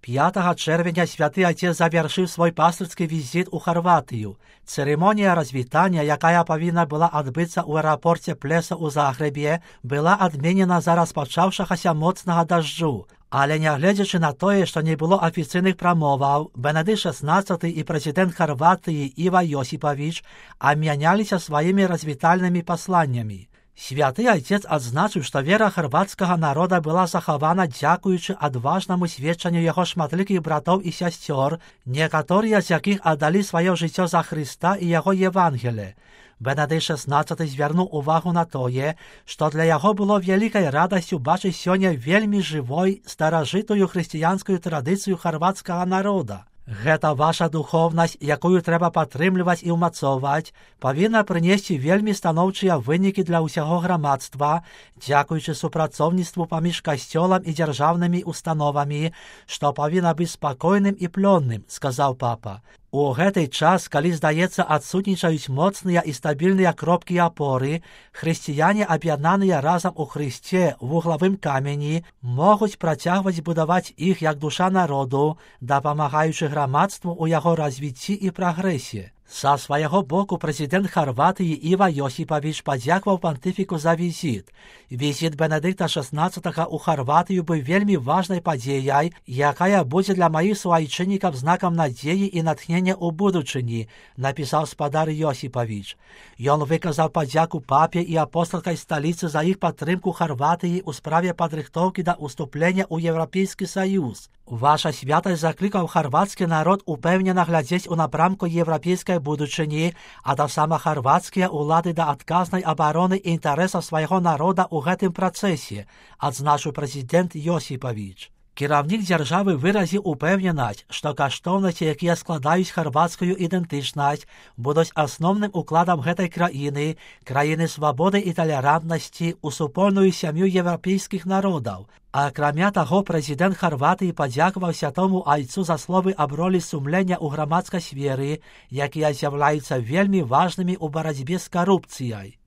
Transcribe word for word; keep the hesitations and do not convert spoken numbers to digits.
п'ятого червня Святий Отець завершив свій пастирський візит у Хорватію. Церемонія розвітання, яка повинна була відбутися у аеропорті Плеса у Загребі, була відмінена за розпочавшогося моцного дождю. Але не глядячи на те, що не було офіційних промов, Бенедикт шістнадцятий і президент Хорватії Іво Йосипович обмінялися своїми розвітальними посланнями. Святий Отець відзначив, що віра хорватського народу була захована дякуючи відважному свідченню його шматликих братів і сестер, некоторі з яких віддали своє життя за Христа і його Євангеліє. Бенедикт шістнадцятий звернув увагу на те, що для його було великою радістю бачити сьогодні вельми живою, старожитою християнською традицію хорватського народу. Гэта ваша духовність, яку треба підтримувати і умацовувати, повинна принести вельми становчі виники для усього громадства, дякуючи супрацовництву поміж костьолом і державними установами, що повинно бути спокійним і пльонним, сказав папа. У гэты час, калі, здаецца, адсутнічаюць моцныя і стабільныя кропкі апоры, хрысціяне, аб'яднаныя разам у Христе в вуглавым камені, могуць працягваць будаваць іх як душа народу, дапамагаючы грамадству ў яго развіцці і прагрэсе. Са свайго боку прэзідэнт Хорватыі Іво Йосипович падзякаваў пантыфіку за візіт. Візіт Бенедикта шістнадцятага ў Хорватыю быў вельмі важнай падзеяй, якая будзе для маіх суайчыннікаў знакам надзеі і натхнення ў будучыні, напісаў спадар Йосипович. Ён выказаў падзяку папе і апосталскай сталіцы за іх падтрымку Хорватыі ў справе падрыхтоўкі да ўступлення ў Еўрапейскі Саюз. Ваша святасць заклікаў хорватскі народ упэўнена глядзець у напрамку еўрапейскай будучыні, а таксама хорватскія ўлады да адказнай абароны інтарэсаў свайго народа ў гэтым працэсе, адзначыў прэзідэнт Йосипович. Кіраўнік дзяржавы выразіў упэўненасць, што каштоўнасці, якія складаюць хорватскую ідэнтычнасць, будуць асноўным укладам гэтай краіны, краіны свабоды і талерантнасці ў супольную сям'ю еўрапейскіх народаў. Акрамя таго, прэзідэнт Хорватыі падзякаваў святому айцу за словы аб ролі сумлення ў грамадскай сферы, якія з'яўляюцца вельмі важнымі ў барацьбе з карупцыяй.